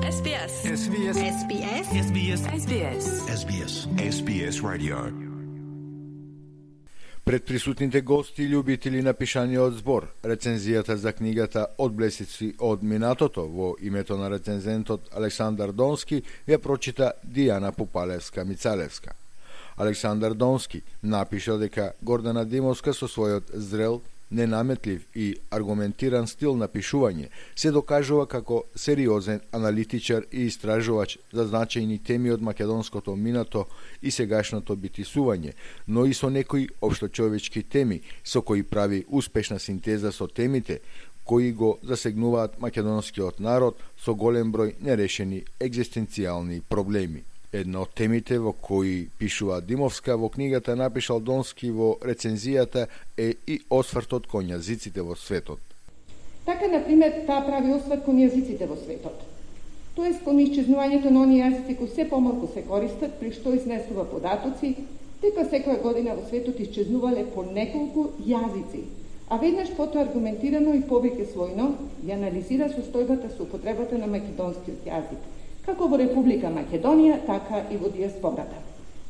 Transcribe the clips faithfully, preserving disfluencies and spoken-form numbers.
Ес Би Ес. Ес Би Ес. Ес Би Ес. Ес Би Ес. Ес Би Ес. Ес Би Ес. Ес Би Ес Radio. Пред присутните гости и љубители на пишаниот збор, рецензијата за книгата Одблесици од минатото во името на рецензентот Александар Донски ја прочита Дијана Пупалевска-Мицалевска. Александар Донски напиша дека Гордана Димовска со својот зрел, ненаметлив и аргументиран стил на пишување се докажува како сериозен аналитичар и истражувач за значајни теми од македонското минато и сегашното битисување, но и со некои општочовечки теми со кои прави успешна синтеза со темите кои го засегнуваат македонскиот народ со голем број нерешени екзистенцијални проблеми. Една од темите во кои пишува Димовска во книгата напишал Донски во рецензијата е и освртот кон јазиците во светот. Така, например, таа прави осврт кон јазиците во светот. Тоест кон исчезнувањето на оние јазици кои се помалку се користат, при што изнесува податоци, дека секоја година во светот исчезнувале по неколку јазици, а веднаш потоа аргументирано и повеќе својно ја анализира состојбата со употребата на македонскиот јазик, како во Република Македонија, така и во диаспората.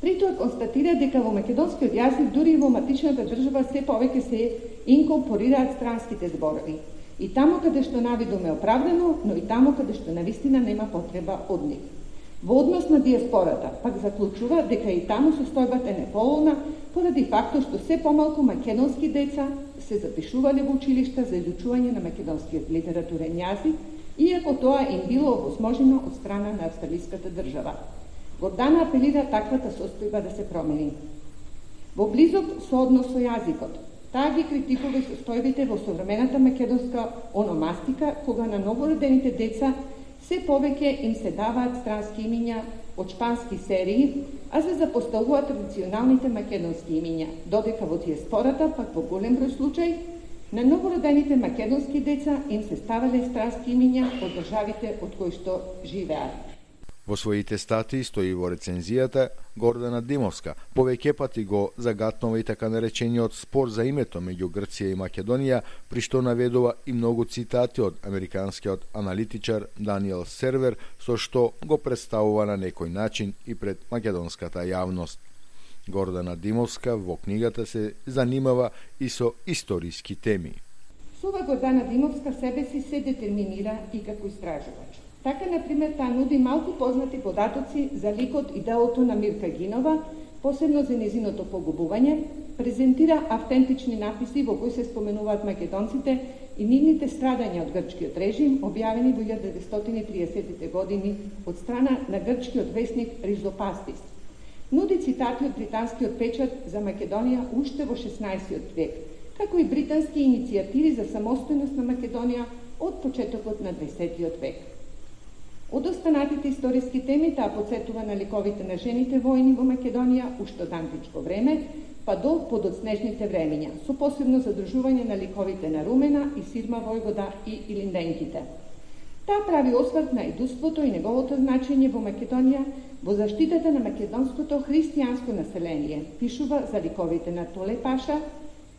При тоа констатира дека во македонскиот јазик, дури и во матичната држава, се повеќе се инкорпорираат странските зборови. И таму каде што навидум е оправдано, но и таму каде што навистина нема потреба од нив. Во однос на диаспората, пак заклучува дека и таму состојбата е неповолна, поради фактот што се помалку македонски деца се запишувале во училишта за изучување на македонскиот литературен јазик, иако тоа им било овозможено од страна на австралиската држава. Гордана апелира таквата состојба да се промени. Во близок со однос со јазикот, таа ги критикува и состојбите во современата македонска ономастика, кога на новородените деца се повеќе им се даваат странски имиња од шпански серии, а се запоставуваат традиционалните македонски имиња, додека во диаспората, пак во голем број случај, на новородените македонски деца им се ставале странски имиња од државите од кои што живеат. Во своите статии стои во рецензијата Гордана Димовска повеќе пати го загатнува и така наречениот спор за името меѓу Грција и Македонија, при што наведува и многу цитати од американскиот аналитичар Даниел Сервер, со што го представува на некој начин и пред македонската јавност. Гордана Димовска во книгата се занимава и со историски теми. Сува Гордана Димовска себе си се детерминира и како истражувач. Така, например, таа нуди малку познати податоци за ликот и делото на Мирка Гинова, посебно за незиното погубување, презентира автентични написи во кои се споменуваат македонците и нивните страдања од грчкиот режим, објавени во илјада деветстотини и триесеттите години од страна на грчкиот весник Ризопастис. Нуди цитати од британскиот печат за Македонија уште во шеснаесеттиот век, како и британски иницијативи за самостојност на Македонија од почетокот на дваесеттиот век. Од останатите историски теми таа потсетува на ликовите на жените војни во Македонија уште од античко време, па до подоцнежните времења, со посебно задржување на ликовите на Румена и Сирма Војвода и Илинденките. Таа прави осврт на идуството и неговото значење во Македонија во заштитата на македонското христијанско население. Пишува за ликовите на Толе Паша,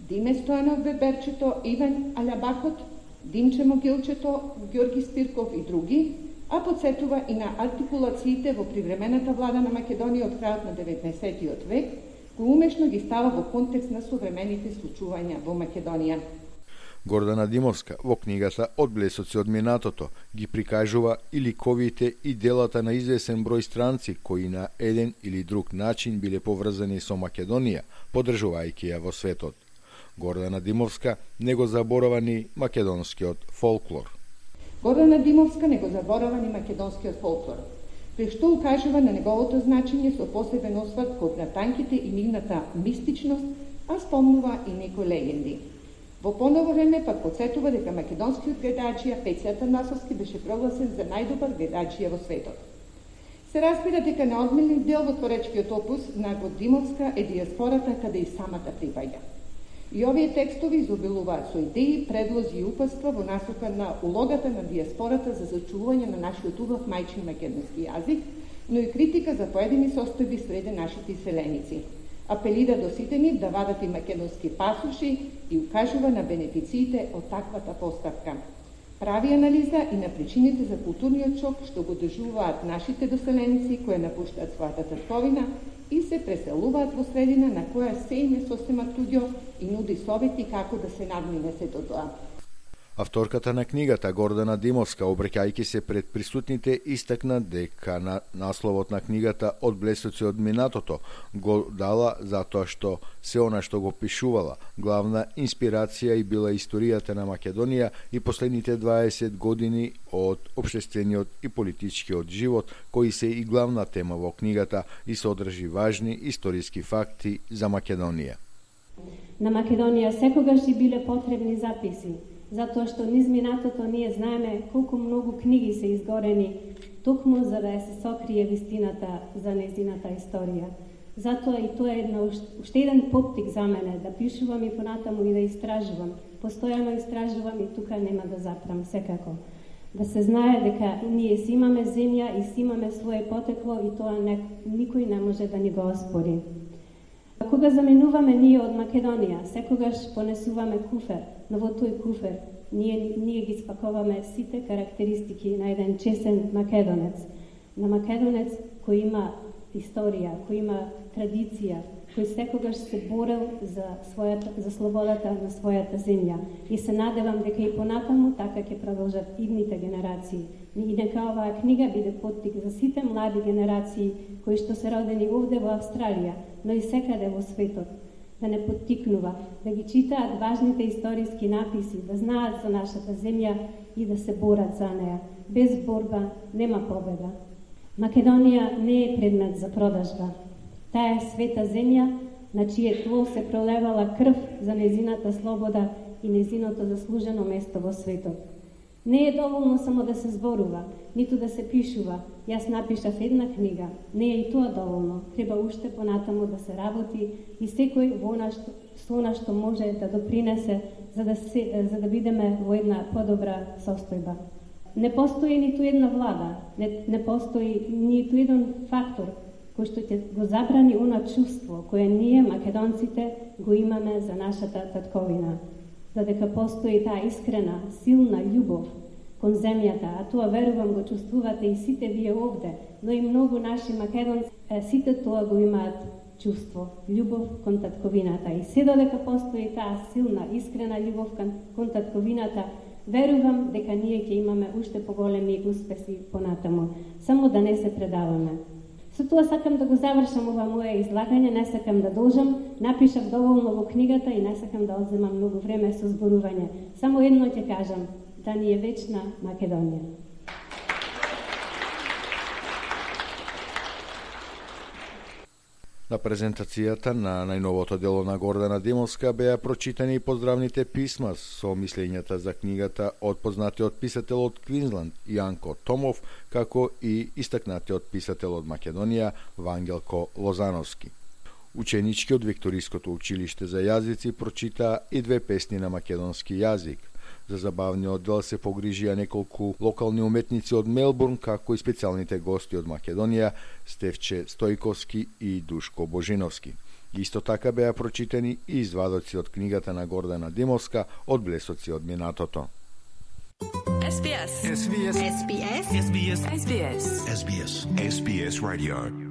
Диме Стојанов Берберчето, Иван Алјабакот, Димче Могилчето, Ѓорги Спирков и други, а потсетува и на артикулациите во привремената влада на Македонија од крајот на деветнаесеттиот век, кој умешно ги става во контекст на современите случувања во Македонија. Гордана Димовска во книгата Одблесоци од минатото ги прикажува и ликовите и делата на извесен број странци кои на еден или друг начин биле поврзани со Македонија, поддржувајќи ја во светот. Гордана Димовска не го заборава ни македонскиот фолклор. Гордана Димовска не го заборава ни македонскиот фолклор, при што укажува на неговото значење со посебен осврт кон натанките и нивната мистичност, а спомнува и некои легенди. Во поново време пак потсетува дека македонскиот гледаачија Пејце Атанасовски беше прогласен за најдобар гледаачија во светот. Се разбира дека неодмелен дел во творечкиот опус на Димовска е диаспората каде и самата припаѓа. И овие текстови изобилуваат со идеи, предлози и упатства во насока на улогата на диаспората за зачувување на нашиот убав мајчин македонски јазик, но и критика за поедини состојби среде нашите иселеници. Апелира до сите нив да вадат и македонски пасуши и укажува на бенефициите од таквата поставка. Прави анализа и на причините за културниот шок што го доживуваат нашите доселенци кои напуштаат својата татковина и се преселуваат во средина на која се им е сосема туѓо и нуди совети како да се надмине сето тоа. Авторката на книгата Гордана Димовска, обреќајќи се пред присутните, истакна дека на насловот на книгата Од блесоци од минатото го дала затоа што се она што го пишувала. Главна инспирација и била историјата на Македонија и последните дваесет години од општествениот и политичкиот живот, кои се и главна тема во книгата и содржи важни историски факти за Македонија. На Македонија секогаш и биле потребни записи, затоа што низ минатото ние знаеме колку многу книги се изгорени, токму за да се сокрие вистината за нејзината историја. Затоа и тоа е една, уште еден поттик за мене, да пишувам и понатаму и да истражувам. Постојано истражувам и тука нема да запрам секако. Да се знае дека ние си имаме земја и си имаме своje потекло и тоа не, никој не може да ни го оспори. Кога заменуваме ние од Македонија, секогаш понесуваме куфер, но во тој куфер ние, ние ги спаковаме сите карактеристики на еден чесен македонец. На македонец кој има историја, кој има традиција, кој секогаш се борел за, својата, за слободата на својата земја. И се надевам дека и понатаму така ќе продолжат идните генерации. И нека оваа книга биде поттик за сите млади генерации кои што се родени овде во Австралија, но и секаде во светот, да не поттикнува, да ги читаат важните историски написи, да знаат за нашата земја и да се борат за неа. Без борба нема победа. Македонија не е предмет за продажба. Таа е света земја, на чие тло се пролевала крв за нејзината слобода и нејзиното заслужено место во светот. Не е доволно само да се зборува, ниту да се пишува. Јас напишав една книга. Не е и тоа доволно. Треба уште понатаму да се работи и секој во она што, со она што може да допринесе за да, се, за да бидеме во една подобра состојба. Не постои ниту една влада, не, не постои ниту еден фактор кој што ќе го забрани она чувство кое ние, македонците, го имаме за нашата татковина. Додека постои таа искрена, силна љубов кон земјата, а тоа верувам го чувствувате и сите вие овде, но и многу наши македонци, сите тоа го имаат чувство, љубов кон татковината. И се додека постои таа силна, искрена љубов кон, кон татковината, верувам дека ние ќе имаме уште поголеми успеси понатаму, само да не се предаваме. Со тоа сакам да го завршам ова моje излагање, не сакам да должам, напишав доволно во книгата и не сакам да одземам многу време со зборување. Само едно ќе кажам, да ни е вечна Македонија. На презентацијата на најновото дело на Гордана Димовска беа прочитани поздравните писма со мислењата за книгата од познатиот писател од Квинсланд Јанко Томов, како и истакнатиот писател од Македонија Вангелко Лозановски. Ученички од Викториското училиште за јазици прочитаа и две песни на македонски јазик. За забавниот дел се погрижија неколку локални уметници од Мелбурн, како и специјалните гости од Македонија Стефче Стојковски и Душко Божиновски. Исто така беа прочитани и извадоци од книгата на Гордана Димовска Од блесоци од минатото. S B S. S B S. S B S. S B S. S B S. S B S Radio.